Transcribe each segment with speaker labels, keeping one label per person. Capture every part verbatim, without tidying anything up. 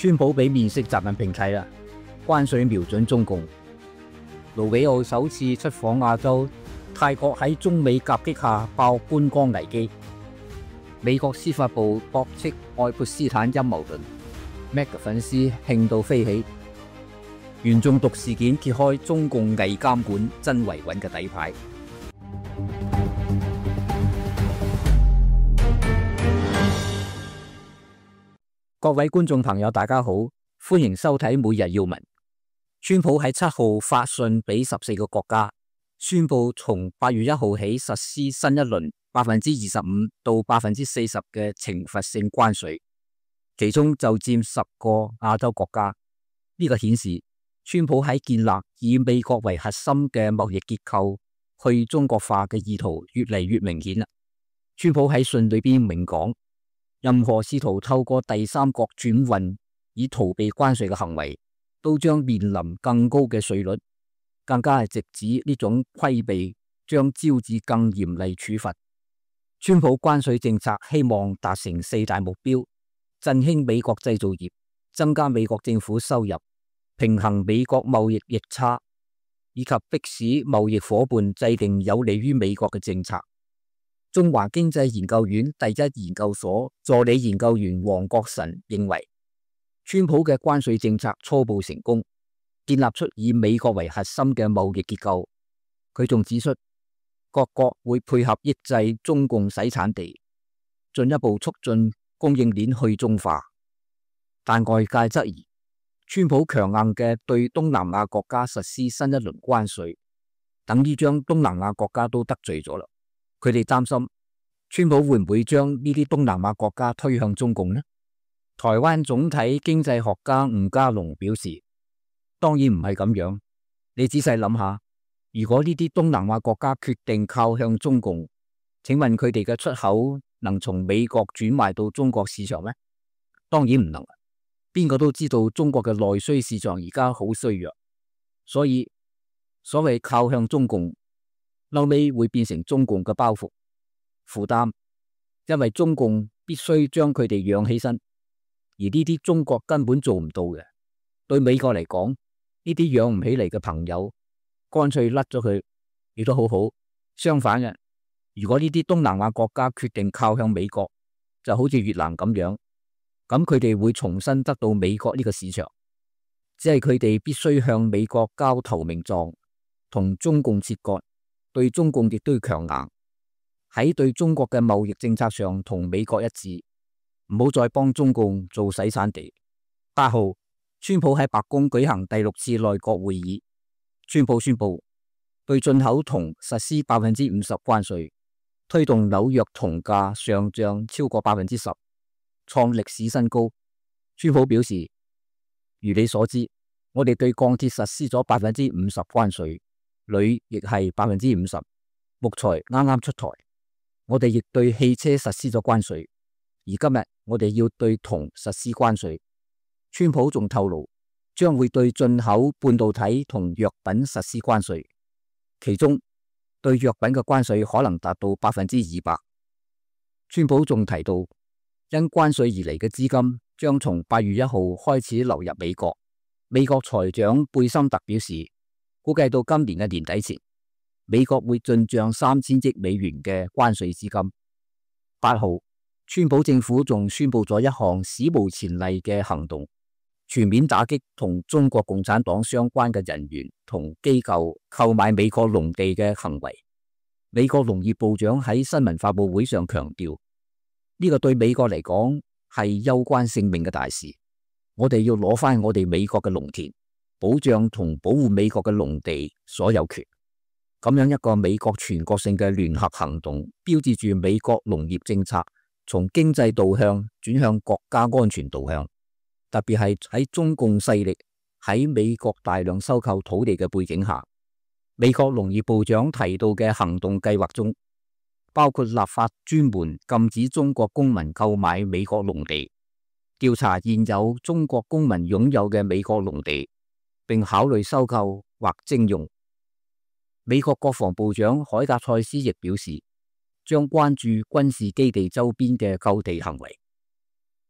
Speaker 1: 川普俾面色習近平睇啦，關稅瞄準中共。盧比奧首次出訪亞洲，泰國喺中美夾擊下爆觀光危機。美國司法部駁斥愛潑斯坦陰謀論 ，Mac 嘅粉絲興到飛起。原中毒事件揭開中共偽監管真維穩嘅底牌。各位觀眾朋友，大家好，歡迎收睇每日要聞。川普喺七號發信俾十四個國家，宣布從八月一號起實施新一輪百分之二十五到百分之四十嘅懲罰性關稅，其中就佔十個亞洲國家。呢、這個顯示川普喺建立以美國為核心嘅貿易結構去中國化嘅意圖越嚟越明顯啦。川普喺信裏邊明講，任何試圖透過第三國轉運以逃避關稅嘅行為，都將面臨更高嘅稅率，更加係直指呢種規避將招致更嚴厲處罰。川普關稅政策希望達成四大目標：振興美國製造業，增加美國政府收入，平衡美國貿易逆差，以及迫使貿易夥伴制定有利於美國嘅政策。中華經濟研究院第一研究所助理研究員黃國臣認為，川普嘅關稅政策初步成功，建立出以美國為核心嘅貿易結構。佢仲指出，各國會配合抑制中共洗產地，進一步促進供應鏈去中化。但外界質疑，川普強硬嘅對東南亞國家實施新一輪關稅，等於將東南亞國家都得罪咗啦。佢哋擔心川普會唔會將呢啲東南亞國家推向中共呢？台灣總體經濟學家吳家龍表示，當然唔係咁樣。你仔細諗下，如果呢啲東南亞國家決定靠向中共，請問佢哋嘅出口能從美國轉賣到中國市場咩？當然唔能。邊個都知道中國嘅內需市場而家好衰弱，所以所謂靠向中共，後尾會變成中共嘅包袱負擔，因為中共必須將佢哋養起身，而呢啲中國根本做唔到嘅。對美國嚟講，呢啲養唔起嚟嘅朋友，乾脆甩咗佢，亦都好好。相反嘅，如果呢啲東南亞國家決定靠向美國，就好似越南咁樣，咁佢哋會重新得到美國呢個市場，只係佢哋必須向美國交投名狀，同中共切割。對中共亦都要強硬，喺對中國嘅貿易政策上同美國一致，唔好再幫中共做洗產地。八號，川普喺白宮舉行第六次內閣會議，川普宣布對進口銅實施百分之五十關稅，推動紐約銅價上漲超過百分之十，創歷史新高。川普表示，如你所知，我哋對鋼鐵實施咗百分之五十關稅。鋁亦係百分之五十，木材啱啱出台，我哋亦對汽車實施咗關稅，而今日我哋要對銅實施關稅。川普仲透露，將會對進口半導體同藥品實施關稅，其中對藥品嘅關稅可能達到百分之二百。川普仲提到，因關稅而嚟嘅資金將從八月一號開始流入美國。美國財長貝森特表示，估計到今年嘅年底前，美國會進賬三千億美元嘅關稅資金。八號，川普政府仲宣布咗一項史無前例嘅行動，全面打擊同中國共產黨相關嘅人員同機構購買美國農地嘅行為。美國農業部長喺新聞發佈會上強調，呢個對美國嚟講係攸關性命嘅大事，我哋要攞翻我哋美國嘅農田，保障同保護美國嘅農地所有權。咁樣一個美國全國性嘅聯合行動，標誌住美國農業政策從經濟導向轉向國家安全導向。特別係喺中共勢力喺美國大量收購土地嘅背景下，美國農業部長提到嘅行動計劃中，包括立法專門禁止中國公民購買美國農地，調查現有中國公民擁有嘅美國農地，並考慮收購或徵用。美國國防部長海格塞斯亦表示，將關注軍事基地周邊嘅購地行為。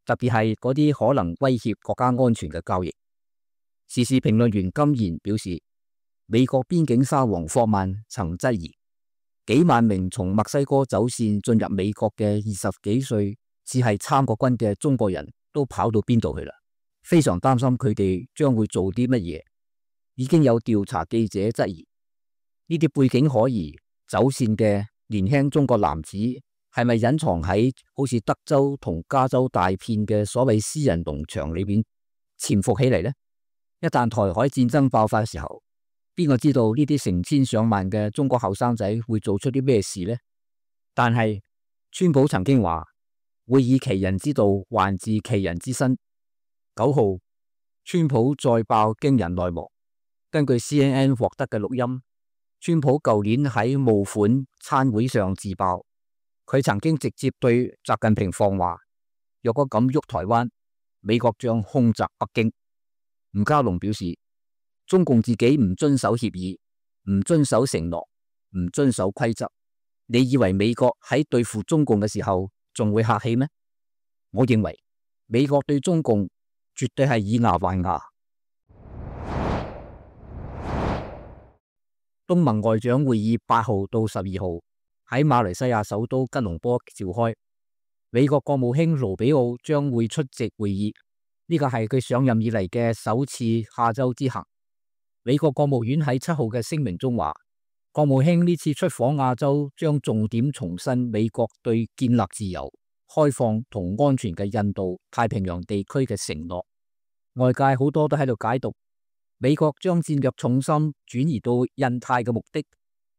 Speaker 1: 特別係嗰啲可能威脅國家安全嘅交易。時事評論員金賢表示，美國邊境沙皇霍曼曾質疑，幾萬名從墨西哥走線進入美國嘅二十幾歲只係參過軍嘅中國人都跑到邊度去啦，非常擔心佢哋將會做啲乜嘢。已經有調查記者質疑，呢啲背景可疑走線嘅年輕中國男子係咪隱藏喺好似德州同加州大片嘅所謂私人農場裏邊潛伏起嚟呢？一旦台海戰爭爆發嘅時候，邊個知道呢啲成千上萬嘅中國後生仔會做出啲咩事呢？但係川普曾經話會以其人之道還治其人之身。九號，川普再爆驚人內幕。根據 C N N 獲得嘅錄音，川普舊年喺募款餐會上自爆，佢曾經直接對習近平放話，若果敢喐台灣，美國將空襲北京。吳家龍表示，中共自己唔遵守協議，唔遵守承諾，唔遵守規則，你以為美國喺對付中共嘅時候仲會客氣咩？我認為美國對中共絕對係以牙還牙。東盟外長會議八號到十二號喺馬來西亞首都吉隆坡召開，美國國務卿盧比奧將會出席會議，呢個係佢上任以嚟嘅首次亞洲之行。美國國務院喺七號嘅聲明中話，國務卿呢次出訪亞洲將重點重申美國對建立自由、開放同安全嘅印度太平洋地區嘅承諾。外界好多都喺度解讀，美國將戰略重心轉移到印太嘅目的，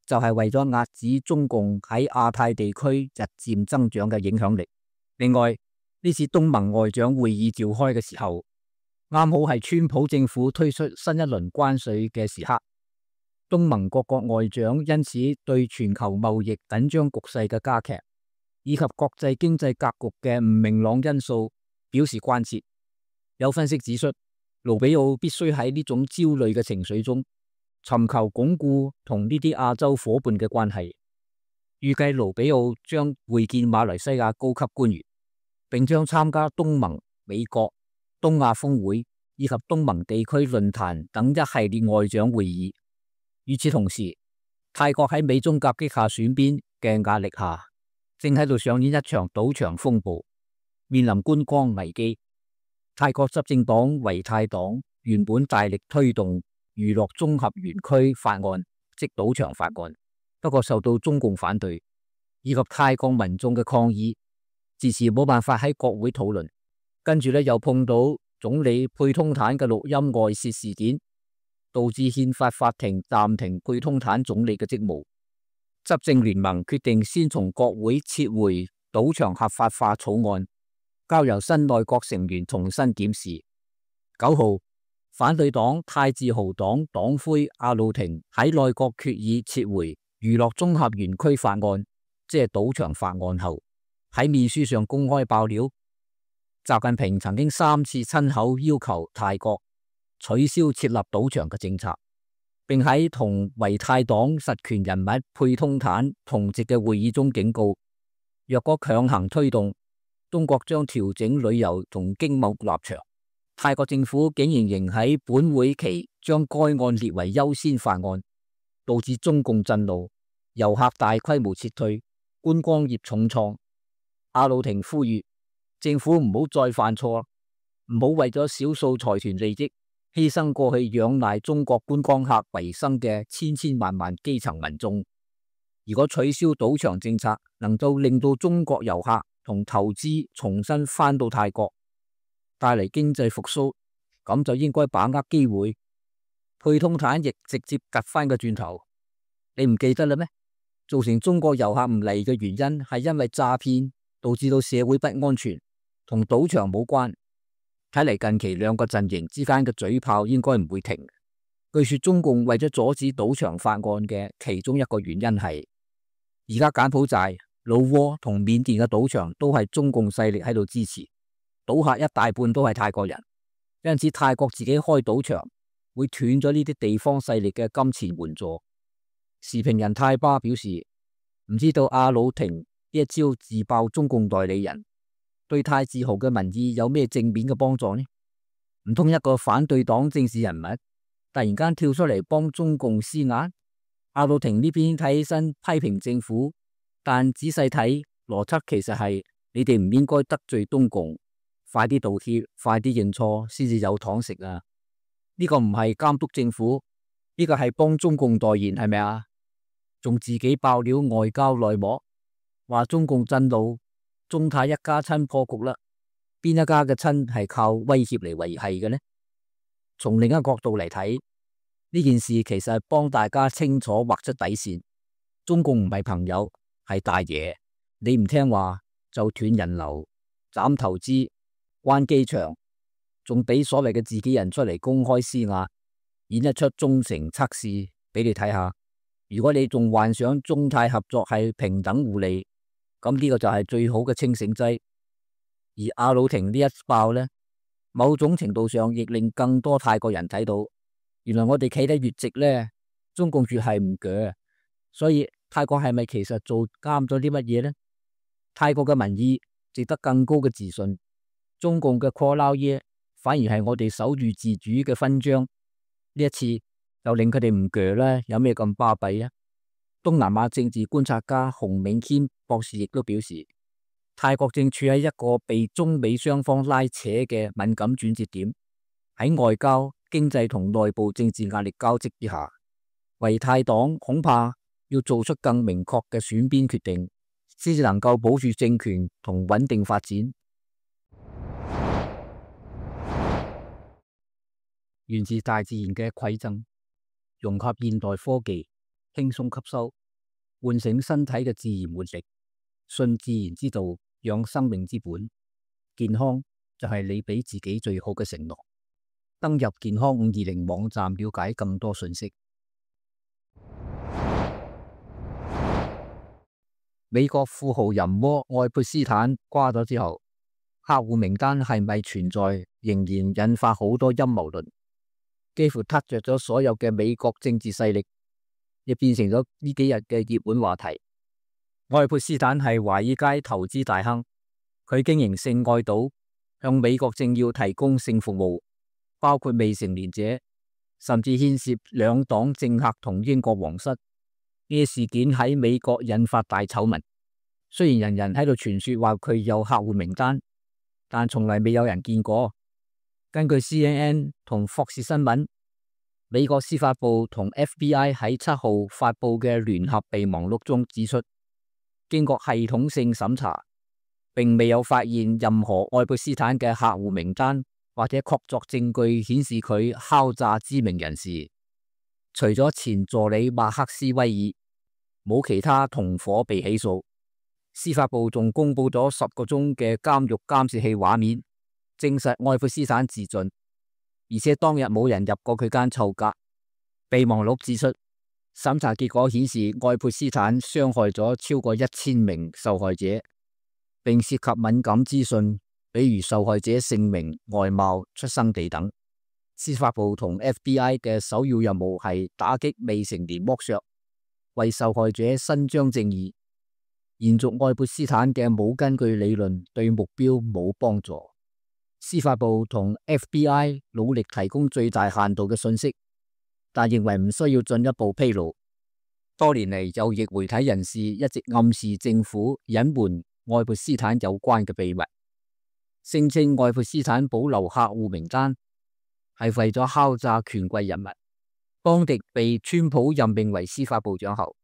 Speaker 1: 就係為咗遏止中共喺亞太地區日漸增長嘅影響力。另外，呢次東盟外長會議召開嘅時候，啱好係川普政府推出新一輪關稅嘅時刻，東盟各國外長因此對全球貿易緊張局勢嘅加劇，以及國際經濟格局嘅唔明朗因素表示關切。有分析指出，盧比奧必須喺呢種焦慮嘅情緒中，尋求鞏固同呢啲亞洲夥伴嘅關係。預計盧比奧將會見馬來西亞高級官員，並將參加東盟、美國、東亞峰會以及東盟地區論壇等一系列外長會議。與此同時，泰國喺美中夾擊下選邊嘅壓力下，正喺度上演一場賭場風暴，面臨觀光危機。泰國執政黨維泰黨原本大力推動娛樂綜合園區法案，即賭場法案，不過受到中共反對以及泰國民眾嘅抗議，遲遲冇辦法喺國會討論。跟住咧又碰到總理佩通坦嘅錄音外泄事件，導致憲法法庭暫停佩通坦總理嘅職務。執政聯盟決定先從國會撤回賭場合法化草案，交由新內閣成員重新檢視。九號，反對黨泰自豪黨黨魁阿魯廷喺內閣決議撤回娛樂綜合園區法案，即係賭場法案後，喺面書上公開爆料，習近平曾經三次親口要求泰國取消設立賭場嘅政策，並喺同維泰黨實權人物佩通坦同席嘅會議中警告，若果強行推動，中國將調整旅遊同經貿立場。泰國政府竟然仍喺本會期將該案列為優先法案，導致中共震怒，遊客大規模撤退，觀光業重創。阿魯廷呼籲政府唔好再犯錯，唔好為咗少數財團利益，犧牲過去仰賴中國觀光客為生嘅千千萬萬基層民眾。如果取消賭場政策，能夠令到中國遊客同投資重新返到泰國，帶嚟經濟復甦，咁就應該把握機會。佩通坦亦直接夾翻個轉頭，你唔記得啦咩？造成中國遊客唔嚟嘅原因係因為詐騙，導致到社會不安全，同賭場冇關。睇嚟近期兩個陣營之間嘅嘴炮應該唔會停。據說中共為咗阻止賭場法案嘅其中一個原因係，而家柬埔寨、老撾同緬甸嘅賭場都係中共勢力喺度支持，賭客一大半都係泰國人，因此泰國自己開賭場會斷咗呢啲地方勢力嘅金錢援助。時評人泰巴表示，唔知道阿魯廷呢一招自爆中共代理人，對泰自豪嘅民意有咩正面嘅幫助呢？唔通一個反對黨政治人物突然間跳出嚟幫中共施壓？阿魯廷呢邊睇起身批評政府，但仔細睇邏輯其實係你哋唔應該得罪東共，快啲道歉，快啲認錯先至有糖食啊！呢個唔係監督政府，呢個係幫中共代言，係咪啊？仲自己爆料外交內幕，話中共震怒，中泰一家親破局啦。邊一家嘅親係靠威脅嚟維繫嘅呢？從另一個角度嚟睇，呢件事其實係幫大家清楚劃出底線。中共唔係朋友，係大爺。你唔聽話就斷人流、斬投資、關機場，仲俾所謂嘅自己人出嚟公開施壓，演一出忠誠測試俾你睇下。如果你仲幻想中泰合作係平等互利，咁呢個就係最好嘅清醒劑。而阿魯廷呢一爆呢，某種程度上亦令更多泰國人睇到，原來我哋企得越直呢，中共越係唔鋸。所以泰國係咪其實做啱咗啲乜嘢呢？泰國嘅民意值得更高嘅自信，中共嘅過撈耶反而係我哋守住自主嘅勳章。呢一次又令佢哋唔鋸啦，有咩咁巴閉啊？東南亞政治觀察家洪銘謙博士亦都表示，泰國正處喺一個被中美雙方拉扯嘅敏感轉折點，喺外交、經濟同內部政治壓力交織之下，為泰黨恐怕要做出更明確嘅選邊決定，先至能夠保住政權同穩定發展。源自大自然嘅饋贈，融合現代科技，輕鬆吸收，喚醒身體嘅自然活力，信自然之道，養生命之本。健康就係你俾自己最好嘅承諾。登入健康五二零網站了解更多信息。美國富豪淫魔愛潑斯坦瓜咗之後，客戶名單係咪存在，仍然引發好多陰謀論，幾乎撻着咗所有嘅美國政治勢力，亦變成咗呢幾日嘅熱門話題。愛潑斯坦係華爾街投資大亨，佢經營性愛島，向美國政要提供性服務，包括未成年者，甚至牽涉兩黨政客同英國皇室。呢啲事件喺美國引發大醜聞。雖然人人喺度傳說話佢有客戶名單，但從來未有人見過。根據 C N N 同霍士新聞，美國司法部同 F B I 喺七號發佈嘅聯合備忘錄中指出，經過系統性審查，並未有發現任何愛潑斯坦嘅客戶名單或者確鑿證據顯示佢敲詐知名人士。除咗前助理馬克斯威爾，冇其他同夥被起訴。司法部仲公布咗十個鐘嘅監獄監視器畫面，證實愛潑斯坦自盡，而且當日冇人入過佢間臭格。備忘錄指出，審查結果顯示愛潑斯坦傷害咗超過一千名受害者，並涉及敏感資訊，比如受害者姓名、外貌、出生地等。司法部同 F B I 嘅首要任務係打擊未成年剝削，為受害者伸張正義。延續愛潑斯坦嘅冇根據理論對目標冇幫助。司法部同 F B I 努力提供最大限度嘅信息，但認為唔需要進一步披露。多年嚟，右翼媒體人士一直暗示政府隱瞞愛潑斯坦有關嘅秘密，聲稱愛潑斯坦保留客戶名單係為咗敲詐權貴人物。邦迪被川普任命為司法部長後，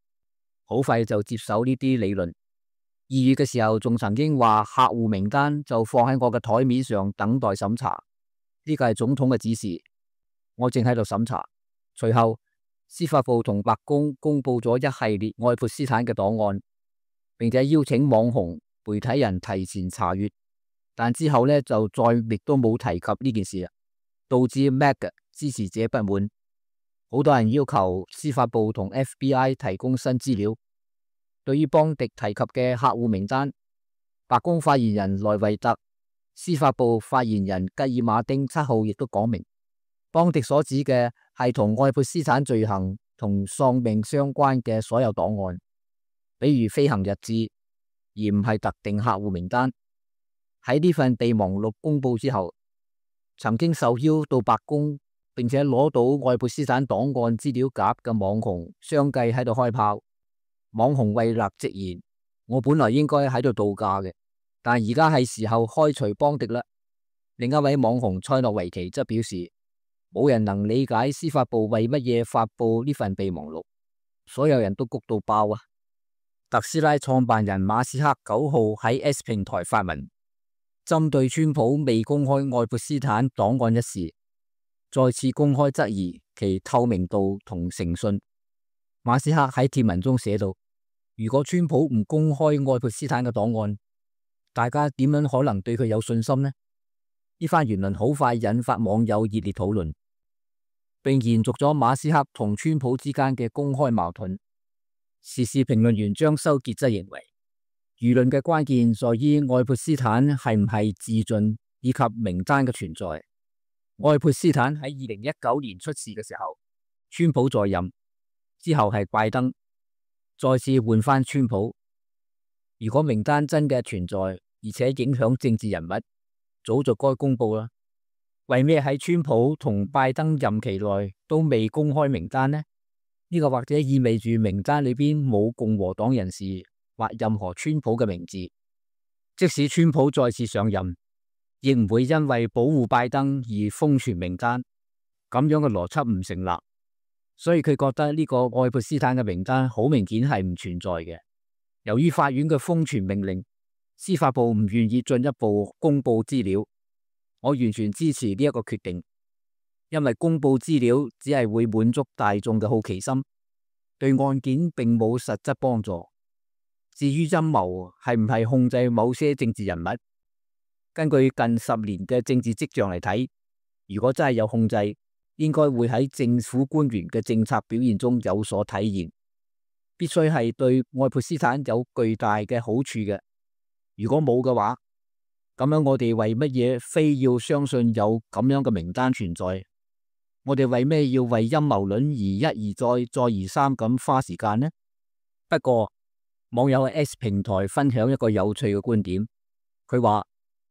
Speaker 1: 好快就接手呢啲理論。二月嘅時候仲曾經話客戶名單就放喺我嘅台面上等待審查，呢個係總統嘅指示，我正喺度審查。隨後司法部同白宮公布咗一系列愛潑斯坦嘅檔案，並且邀請網紅媒體人提前查閱，但之後呢，就再亦都冇提及呢件事，導致 M A G 支持者不滿，好多人要求司法部同 F B I 提供新資料。對於邦迪提及嘅客戶名單，白宮發言人萊維特、司法部發言人吉爾馬丁七號亦都講明，邦迪所指嘅係同愛潑斯坦罪行同喪命相關嘅所有檔案，比如飛行日誌，而唔係特定客戶名單。喺呢份備忘錄公布之後，曾經受邀到白宮並且攞到愛潑斯坦檔案資料夾嘅網紅相繼喺度開炮。網紅惠勒直言：我本來應該喺度度假嘅，但而家係時候開除邦迪啦。另一位網紅塞諾維奇則表示：冇人能理解司法部為乜嘢發佈呢份備忘錄，所有人都谷到爆啊！特斯拉創辦人馬斯克九號喺 X 平台發文，針對川普未公開愛潑斯坦檔案一事，再次公開質疑其透明度同誠信。馬斯克喺貼文中寫道：如果川普唔公開愛潑斯坦嘅檔案，大家點樣可能對佢有信心呢？呢番言論好快引發網友熱烈討論，並延續咗馬斯克同川普之間嘅公開矛盾。時事評論員張修傑則認為，輿論嘅關鍵在於愛潑斯坦係唔係自盡以及名單嘅存在。愛潑斯坦喺二零一九年出事嘅時候，川普在任，之後係拜登，再次換翻川普。如果名單真嘅存在，而且影響政治人物，早就該公布啦。為咩喺川普同拜登任期內都未公開名單呢？呢個或者意味住名單裏邊冇共和黨人士或任何川普嘅名字。即使川普再次上任，亦唔會因為保護拜登而封存名單。咁樣嘅邏輯唔成立。所以佢覺得呢個愛潑斯坦嘅名單好明顯係唔存在嘅。由於法院嘅封存命令，司法部唔願意進一步公布資料。我完全支持呢一個決定。因為公布資料只係會滿足大眾嘅好奇心，對案件並冇實質幫助。至於陰謀係唔係控制某些政治人物，根據近十年嘅政治跡象嚟睇，如果真係有控制，應該會喺政府官員嘅政策表現中有所體現，必須係對愛潑斯坦有巨大嘅好處嘅。如果冇嘅話，咁樣我哋為乜嘢非要相信有咁樣嘅名單存在？我哋為咩要為陰謀論而一而再、再而三咁花時間呢？不過網友喺 X 平台分享一個有趣嘅觀點，佢話：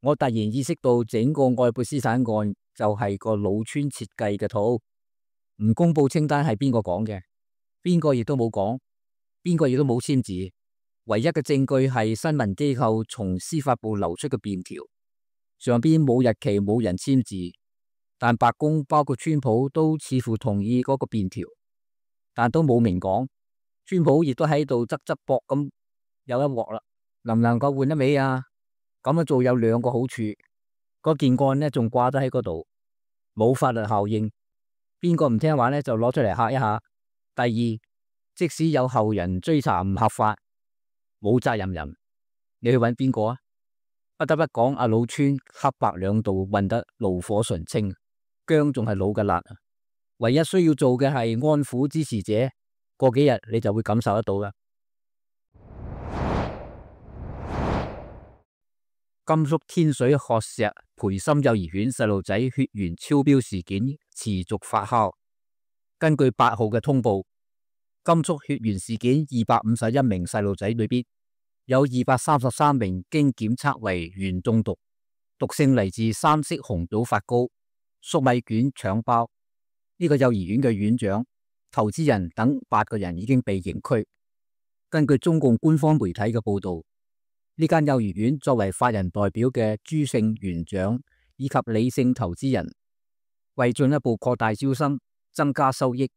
Speaker 1: 我突然意識到整個愛潑斯坦案就係個老川設計嘅套，唔公布清單係邊個講嘅？邊個亦都冇講，邊個亦都冇簽字，唯一嘅證據係新聞機構從司法部流出嘅便條，上邊冇日期，冇人簽字。但白宮包括川普都似乎同意嗰個便條，但都冇明講。川普亦都喺度側側膊咁有一鑊啦，能唔能夠換一尾啊？咁樣做有兩個好處，嗰件案呢仲掛得喺嗰度，冇法律效應。邊個唔聽話呢就攞出嚟嚇一下。第二，即使有後人追查唔合法，冇責任人，你去揾邊個啊？不得不講，阿老川黑白兩道混得爐火純青。薑仲係老嘅辣，唯一需要做嘅係安撫支持者，過幾日你就會感受得到啦。甘肅天水學石培心幼兒園細路仔血鉛超標事件持續發酵。根據八號嘅通報，甘肅血鉛事件二百五十一名細路仔裏邊，有二百三十三名經檢測為鉛中毒，毒性嚟自三色紅棗發糕、粟米卷、腸包。呢、這個幼兒園嘅院長、投資人等八個人已經被刑拘。根據中共官方媒體嘅報道，呢間幼兒園作為法人代表嘅朱姓園長以及李姓投資人，為進一步擴大招生、增加收益，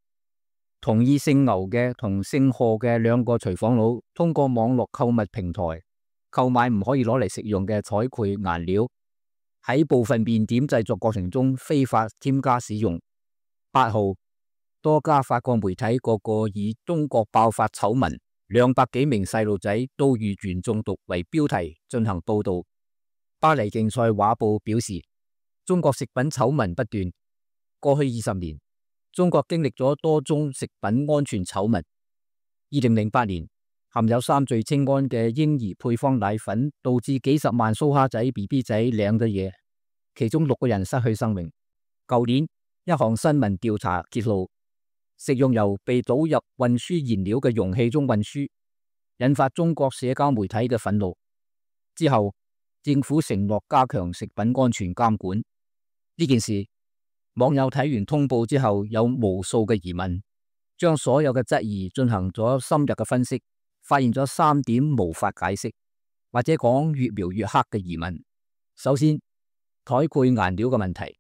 Speaker 1: 同意姓牛嘅同姓賀嘅兩個廚房佬通過網絡購物平台購買唔可以攞嚟食用嘅彩繪顏料，喺部分麵點製作過程中非法添加使用。八號，多家法國媒體個個以中國爆發醜聞，兩百幾名細路仔都遇鉛中毒為標題進行報道。巴黎競賽畫報表示，中國食品醜聞不斷。過去二十年，中國經歷咗多宗食品安全醜聞。二零零八年，含有三聚氰胺嘅嬰兒配方奶粉導致幾十萬蘇蝦仔 B B 仔領咗嘢，其中六個人失去生命。舊年，一項新聞調查揭露，食用油被倒入運輸燃料嘅容器中運輸，引發中國社交媒體嘅憤怒。之後，政府承諾加強食品安全監管。呢件事，網友睇完通報之後有無數嘅疑問，將所有嘅質疑進行咗深入嘅分析，發現咗三點無法解釋，或者講越描越黑嘅疑問。首先，彩繪顏料嘅問題，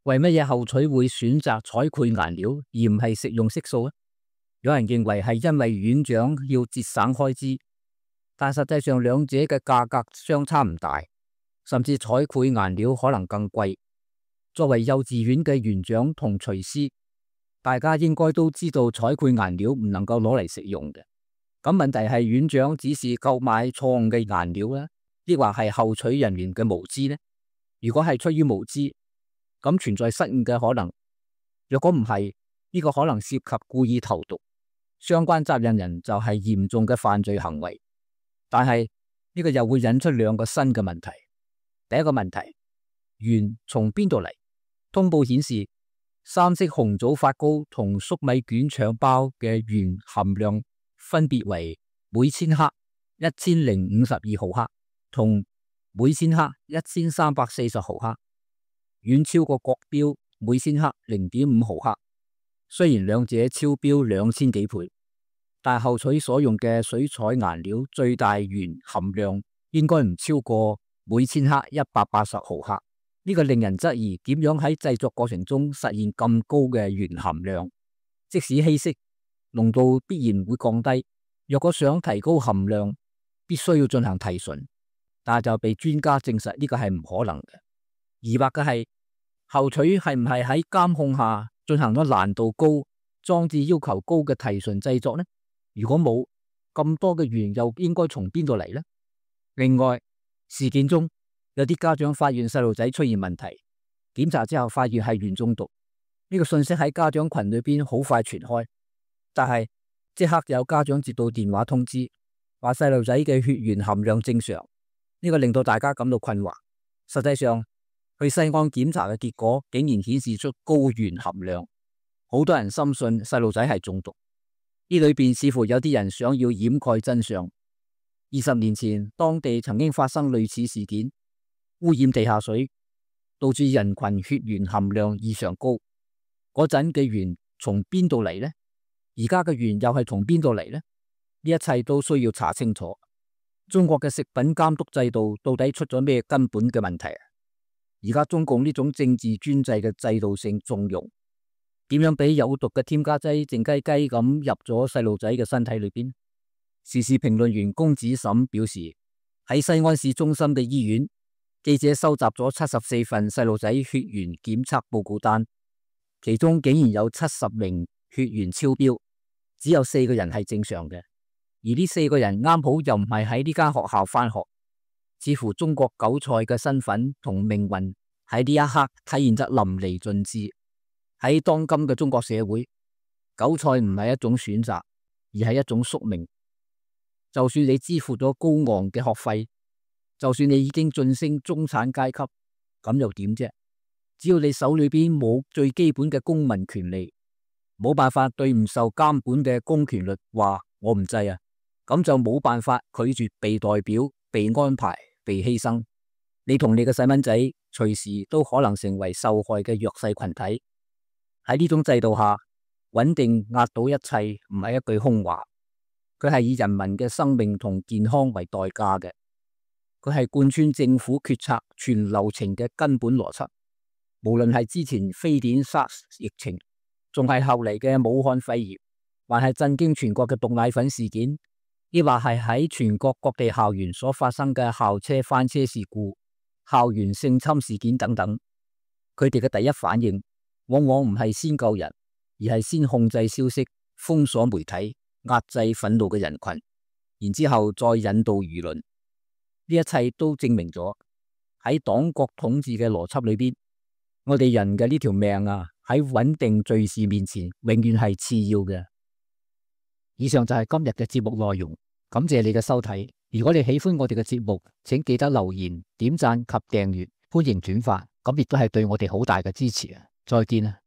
Speaker 1: 為乜嘢後取會選擇彩繪顏料而唔係食用色素呢？有人認為係因為院長要節省開支，但實際上兩者嘅價格相差唔大，甚至彩繪顏料可能更貴。作為幼稚園嘅園長同廚師，大家應該都知道彩繪顏料唔能夠攞嚟食用嘅。咁問題係院長只是購買錯誤嘅顏料呢，抑或係後取人員嘅無知呢？如果係出於無知，咁存在失誤嘅可能；若果唔係，呢個可能涉及故意投毒，相關責任人就係嚴重嘅犯罪行為。但係呢個又會引出兩個新嘅問題。第一個問題，鉛從邊度嚟？通報顯示，三色紅棗發糕同粟米卷腸包嘅鉛含量分別為每千克一千零五十二毫克同每千克一千三百四十毫克，遠超過國標每千克零點五毫克。雖然兩者超標兩千幾倍，但後取所用嘅水彩顏料最大鉛含量應該唔超過每千克一百八十毫克。呢個令人質疑點樣喺製作過程中實現咁高嘅鉛含量。即使稀釋，濃度必然會降低。若果想提高含量，必須要進行提純，但係就被專家證實呢個係唔可能嘅。疑惑嘅係後取係唔係喺監控下進行咗難度高、裝置要求高嘅提純製作呢？如果冇，咁多嘅鉛又應該從邊度嚟呢？另外，事件中有啲家長發現細路仔出現問題，檢查之後發現係鉛中毒。呢個信息喺家長群裏邊好快傳開，但係即刻有家長接到電話通知，話細路仔嘅血鉛含量正常。呢個令到大家感到困惑。實際上，去西安檢查嘅結果竟然顯示出高鉛含量，好多人深信細路仔係中毒。呢裏邊似乎有啲人想要掩蓋真相。二十年前，當地曾經發生類似事件，污染地下水，導致人群血鉛含量異常高。嗰陣嘅鉛從邊度嚟呢？而家嘅鉛又係從邊度嚟呢？呢一切都需要查清楚。中國嘅食品監督制度到底出咗咩根本嘅問題啊？而家中共呢種政治專制嘅制度性縱容，點樣俾有毒嘅添加劑靜雞雞咁入咗細路仔嘅身體裏邊？時事評論員龔子沈表示，喺西安市中心嘅醫院，記者收集咗七十四份細路仔血鉛檢測報告單，其中竟然有七十名血鉛超標，只有四個人係正常嘅。而呢四個人啱好又唔係喺呢間學校返學，似乎中國韭菜嘅身份同命運喺呢一刻體現得淋漓盡致。喺當今嘅中國社會，韭菜唔係一種選擇，而係一種宿命。就算你支付咗高昂嘅學費，就算你已經晉升中產階級，咁又點啫？只要你手裏邊冇最基本嘅公民權利，冇辦法對唔受監管嘅公權力話我唔制啊，咁就冇辦法拒絕被代表、被安排、被犧牲。你同你嘅細蚊仔隨時都可能成為受害嘅弱勢群體。喺呢種制度下，穩定壓倒一切唔係一句空話，佢係以人民嘅生命同健康為代價嘅，佢係貫穿政府決策全流程嘅根本邏輯。無論係之前非典 SARS 疫情，仲係後嚟嘅武漢肺炎，還係震驚全國嘅毒奶粉事件，亦或係喺全國各地校園所發生嘅校車翻車事故、校園性侵事件等等，佢哋嘅第一反應往往唔係先救人，而係先控制消息、封鎖媒體、壓制憤怒嘅人群，然之後再引導輿論。呢一切都證明咗喺黨國統治嘅邏輯裏邊，我哋人嘅呢條命啊，喺穩定敘事面前永遠係次要嘅。以上就係今日嘅節目內容，感謝你嘅收睇。如果你喜歡我哋嘅節目，請記得留言、點讚及訂閱，歡迎轉發，咁亦都係對我哋好大嘅支持啊！再見啊！